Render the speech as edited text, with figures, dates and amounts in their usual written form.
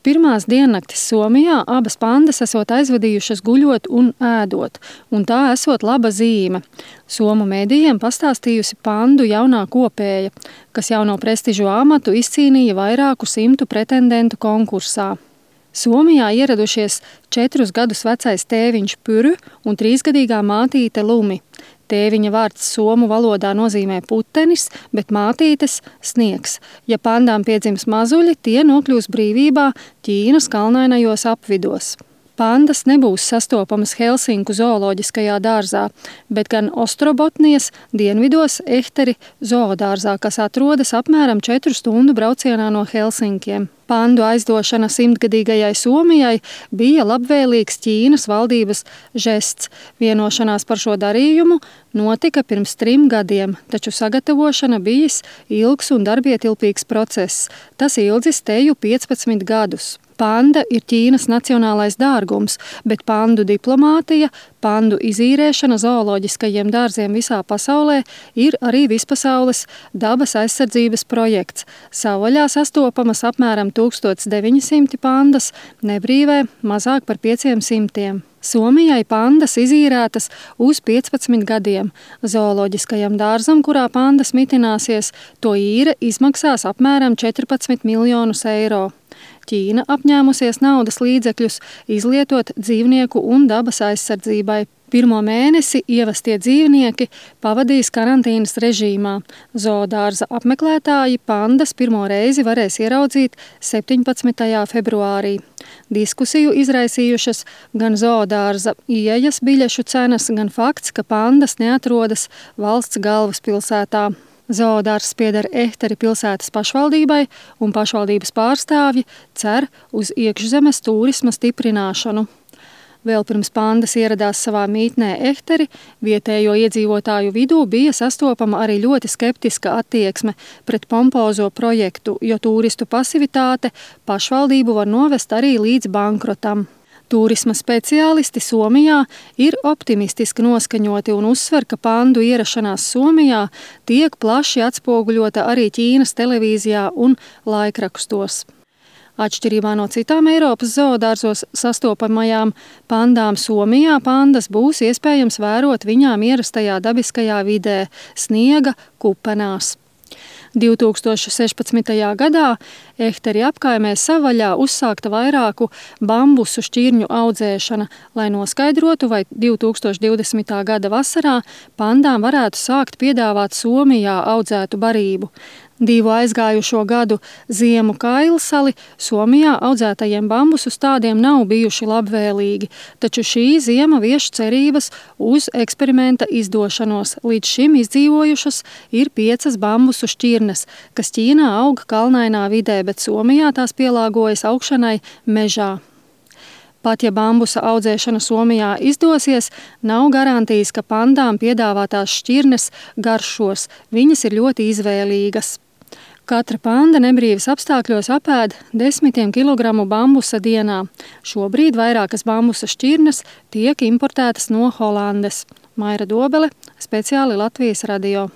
pirmās diennaktis Somijā abas pandas esot aizvadījušas guļot un ēdot, un tā esot laba zīme. Somu medijiem pastāstījusi pandu jaunā kopēja, kas jauno prestižu amatu izcīnīja vairāku 100 pretendentu konkursā. Somijā ieradušies 4 gadus vecais tēviņš Pyry un 3-gadīgā mātīte Lumi. Tēviņa vārds somu valodā nozīmē putenis, bet mātītes sniegs. Ja pandām piedzims mazuļi, tie nokļūs brīvībā Ķīnas kalnainajos apvidos. Pandas nebūs sastopamas Helsinku zooloģiskajā dārzā, bet gan Ostrobotnijas dienvidos Ehteri zoodārzā, kas atrodas apmēram 4 stundu braucienā no Helsinkiem. Pandu aizdošana 100-gadīgajai Somijai bija labvēlīgs Ķīnas valdības žests. Vienošanās par šo darījumu notika pirms 3 gadiem, taču sagatavošana bijis ilgs un darbietilpīgs process. Tas ilgis teju 15 gadus. Panda ir Ķīnas nacionālais dārgums, bet pandu diplomātija, pandu izīrēšana zooloģiskajiem dārziem visā pasaulē ir arī vispasaules dabas aizsardzības projekts. Savvaļā sastopamas apmēram 1900 pandas, nebrīvē mazāk par 500. Somijai pandas izīrētas uz 15 gadiem. Zooloģiskajam dārzam, kurā pandas mitināsies, to īre izmaksās apmēram 14 miljonus eiro. Ķīna apņēmusies naudas līdzekļus izlietot dzīvnieku un dabas aizsardzībai. 1. mēnesi ievestie dzīvnieki pavadīs karantīnas režīmā. Zoodārza apmeklētāji pandas pirmo reizi varēs ieraudzīt 17. februārī. Diskusiju izraisījušas gan zoodārza ieejas biļešu cenas, gan fakts, ka pandas neatrodas valsts galvaspilsētā. Zoodārzs pieder Ehteri pilsētas pašvaldībai, un pašvaldības pārstāvji cer uz iekšzemes tūrisma stiprināšanu. Vēl pirms pandas ieradās savā mītnē Ehteri, vietējo iedzīvotāju vidū bija sastopama arī ļoti skeptiska attieksme pret pompozo projektu, jo tūristu pasivitāte pašvaldību var novest arī līdz bankrotam. Tūrisma speciālisti Somijā ir optimistiski noskaņoti un uzsver, ka pandu ierašanās Somijā tiek plaši atspoguļota arī Ķīnas televīzijā un laikrakstos. Atšķirībā no citām Eiropas zoodārzos sastopamajām pandām Somijā pandas būs iespējams vērot viņām ierastajā dabiskajā vidē – sniega kupenās. 2016. gadā Ehteri apkaimē savvaļā uzsākta vairāku bambusu šķirņu audzēšana, lai noskaidrotu, vai 2020. gada vasarā pandām varētu sākt piedāvāt Somijā audzētu barību. 2 aizgājušo gadu ziemu kailsali Somijā audzētajiem bambusu stādiem nav bijuši labvēlīgi, taču šī ziema vieš cerības uz eksperimenta izdošanos. Līdz šim izdzīvojušas ir 5 bambusu šķirnes, kas Ķīnā aug kalnainā vidē, bet Somijā tās pielāgojas augšanai mežā. Pat ja bambusa audzēšana Somijā izdosies, nav garantijas, ka pandām piedāvātās šķirnes garšos. Viņas ir ļoti izvēlīgas. Katra panda nebrīvas apstākļos apēd 10 kilogramu bambusa dienā. Šobrīd vairākas bambusa šķirnes tiek importētas no Holandes. Maira Dobele, speciāli Latvijas radio.